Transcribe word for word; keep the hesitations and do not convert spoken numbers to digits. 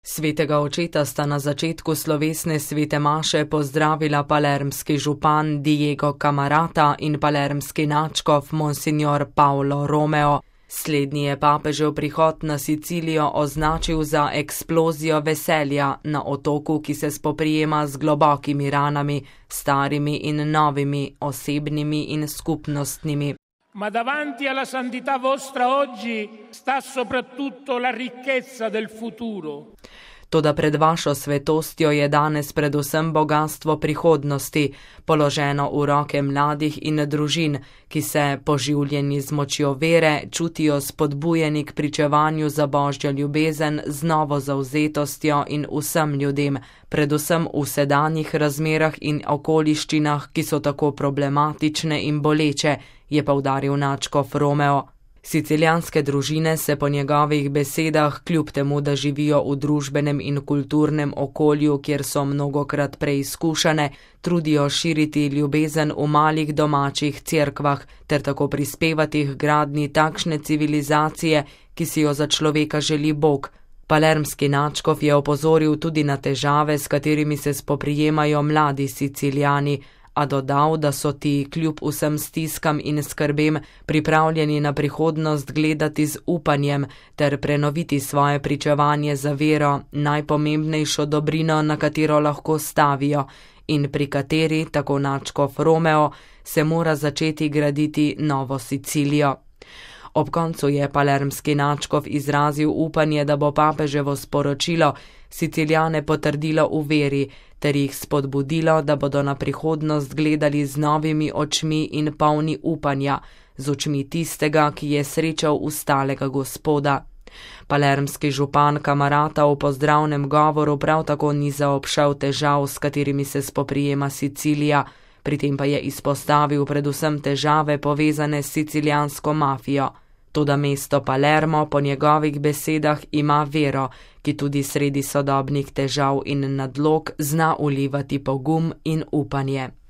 Svetega očeta sta na začetku slovesne svete maše pozdravila palermski župan Diego Camarata in palermski nadškof Monsignor Paolo Romeo. Slednji je papežev prihod na Sicilijo označil za eksplozijo veselja na otoku, ki se spoprijema z globokimi ranami, starimi in novimi, osebnimi in skupnostnimi. Ma davanti alla santità vostra oggi sta soprattutto la ricchezza del futuro. Toda pred vašo svetostjo je danes predvsem bogatstvo prihodnosti, položeno v roke mladih in družin, ki se, poživljeni z močjo vere, čutijo spodbujeni k pričevanju za božjo ljubezen z novo zavzetostjo in vsem ljudem, predvsem v sedanjih razmerah in okoliščinah, ki so tako problematične in boleče, je poudaril nadškof Romeo. Sicilijanske družine se po njegovih besedah, kljub temu, da živijo v družbenem in kulturnem okolju, kjer so mnogokrat preizkušane, trudijo širiti ljubezen v malih domačih cerkvah ter tako prispevati k gradnji takšne civilizacije, ki si jo za človeka želi Bog. Palermski nadškof je opozoril tudi na težave, s katerimi se spoprijemajo mladi Sicilijani, a dodal, da so ti kljub vsem stiskam in skrbem pripravljeni na prihodnost gledati z upanjem ter prenoviti svoje pričevanje za vero, najpomembnejšo dobrino, na katero lahko stavijo in pri kateri, tako nadškof Romeo, se mora začeti graditi novo Sicilijo. Ob koncu je palermski nadškof izrazil upanje, da bo papeževo sporočilo Sicilijane potrdilo v veri ter jih spodbudilo, da bodo na prihodnost gledali z novimi očmi in polni upanja, z očmi tistega, ki je srečal ustalega Gospoda. Palermski župan Camarata v pozdravnem govoru prav tako ni zaobšel težav, s katerimi se spoprijema Sicilija, pri tem pa je izpostavil predvsem težave povezane s sicilijansko mafijo. Toda mesto Palermo po njegovih besedah ima vero, ki tudi sredi sodobnih težav in nadlog zna vlivati pogum in upanje.